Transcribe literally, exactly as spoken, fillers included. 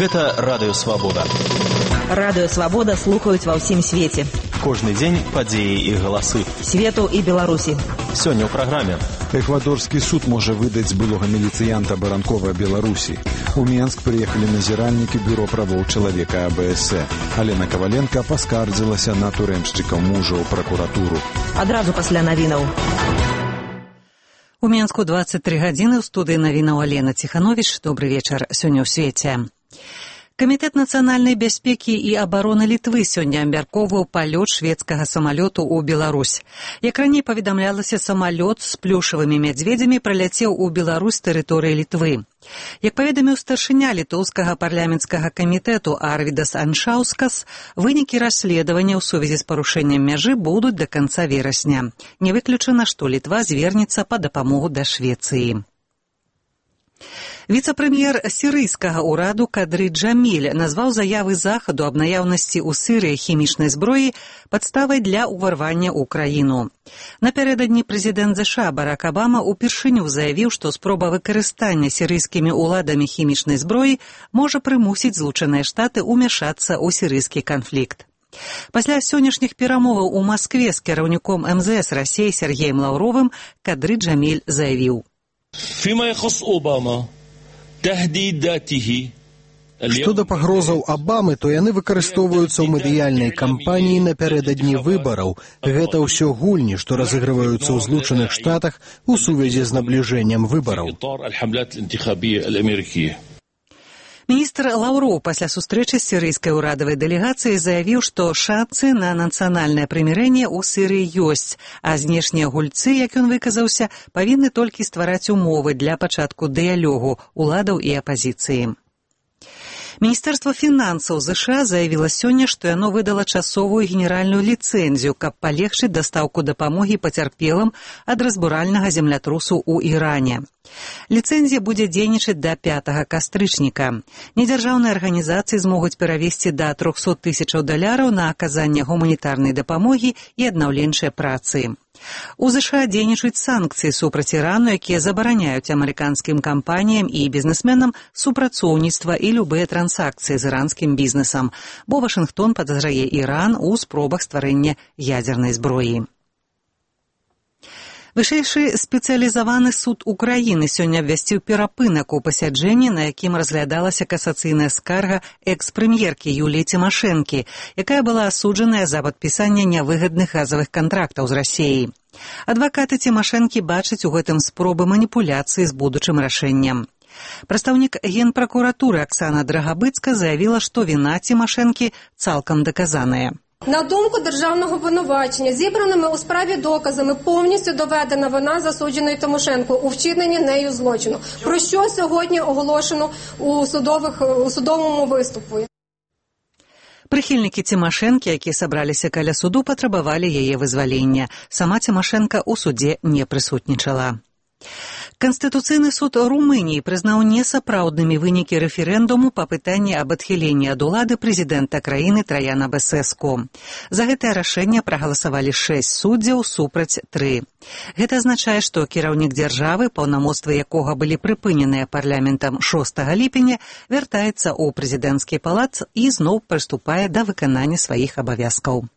Гэта Радыё Свабода. Радыё Свабода слухаюць ва ўсім свеце. Кожны дзень падзеі і галасы. Свету і Беларусі. Сёння ў праграме. Эквадорскі суд можа выдаць былога міліцыянта Баранкова Беларусі. У Менск прыехалі назіральнікі бюро правоў чалавека А Б С. Алена Каваленка паскардзілася на турэмшчыкаў мужа ў пракуратуру. Адразу пасля навінаў. У Менску двадцать три гадзіны ў студыі навінаў Алена Ціхановіч. Добры вечар. Сёння ў свеце. Камітэт нацыянальнай бяспекі і абароны Літвы сёння абмяркоўваў палёт шведскага самалёту ў Беларусь. Як раней паведамлялася, самалёт з плюшавымі мядзведзямі праляцеў у Беларусь з тэрыторыі Літвы. Як паведаміў старшыня літоўскага парламенцкага камітэту Арвідас Аншаускас, вынікі расследавання ў сувязі з парушэннем мяжы будуць да канца верасня. Не выключана, што Літва звернецца па дапамогу да Швецыі. Віцэ-прэм'ер сірыйскага ўраду Кадры Джаміль назваў заявы Захаду аб наяўнасці ў Сірыі хімічнай зброі падставай для ўварвання ў краіну. Напярэдадні прэзідэнт ЗША Барак Абама упершыню заявіў, што спроба выкарыстання сірыйскімі ўладамі хімічнай зброі можа прымусіць Злучаныя Штаты ўмяшацца ў сірыйскі канфлікт. Пасля сённяшніх перамоваў у Маскве з кіраўніком эм зэ эс Расіі Сергеем Лаўровым Кадры Джаміль заявіў: فيما يخص أوباما تهديداته Што да пагрозаў Абамы, то яны выкарыстоўваюцца ў медыяльнай кампаніі напярэдадні выбараў. Гэта ўсё гульні, што разыгрываюцца ў Злучаных Штатах у сувязі з набліжэннем выбараў. Міністр Лаўроў пасля сустрэчы з сірыйскай урадавай дэлегацыяй заявіў, што шанцы на нацыянальнае прымірэнне ў Сірыі ёсць, а знешнія гульцы, як ён выказаўся, павінны толькі ствараць умовы для пачатку дыялогу уладаў і апазіцыі. Міністэрства фінансаў ЗША заявіла сёння, што яно выдала часовую генеральную ліцэнзію, каб палегчыць дастаўку дапамогі пацярпелым ад разбуральнага землятрусу ў Іране. Ліцэнзія будзе дзейнічаць да пятага кастрычніка. Недзяржаўныя арганізацыі змогуць перавесці да трохсот тысячаў даляраў на аказанне гуманітарнай дапамогі і аднаўленчай працы. У ЗША дзейнічаюць санкцыі супраць Ірану, якія забараняюць амерыканскім кампаніям і бізнесменам супрацоўніцтва і любыя трансакцыі з іранскім бізнесам, бо Вашынгтон падазрае Іран у спробах стварэння ядзернай зброі. Вышэйшы спецыялізаваны суд Украіны сёння абвясціў перапынак у пасяджэнні, на якім разглядалася касацыйная скарга экс-прэм'еркі Юліі Цімашэнкі, якая была асуджаная за падпісанне нявыгадных газавых кантрактаў з Расіяй. Адвакаты Цімашэнкі бачаць у гэтым спробы маніпуляцыі з будучым рашэннем. Прадстаўнік генпракуратуры Аксана Драгабыцка заявіла, што віна Цімашэнкі цалкам даказаная. На думку державного обвинувачення, зібраними у справі доказами повністю доведена вина засудженої Тимошенко у вчиненні нею злочину, про що сьогодні оголошено у, судових, у судовому виступі. Прыхільнікі Цімашэнкі, якія сабраліся каля суду, патрабавалі яе вызвалення. Сама Цімашэнка ў судзе не прысутнічала. Канстытуцыйны суд Румыніі прызнаў несапраўднымі вынікі рэферэндуму па пытанні аб адхіленні ад улады прэзідэнта краіны Траяна Бесеску. За гэтае рашэнне прагаласавалі шэсць суддзяў супраць тры. Гэта азначае, што кіраўнік дзяржавы, паўнамоцтвы якога былі прыпыненыя парламентам шостага ліпеня, вяртаецца ў прэзідэнцкі палац і зноў прыступае да выканання сваіх абавязкаў.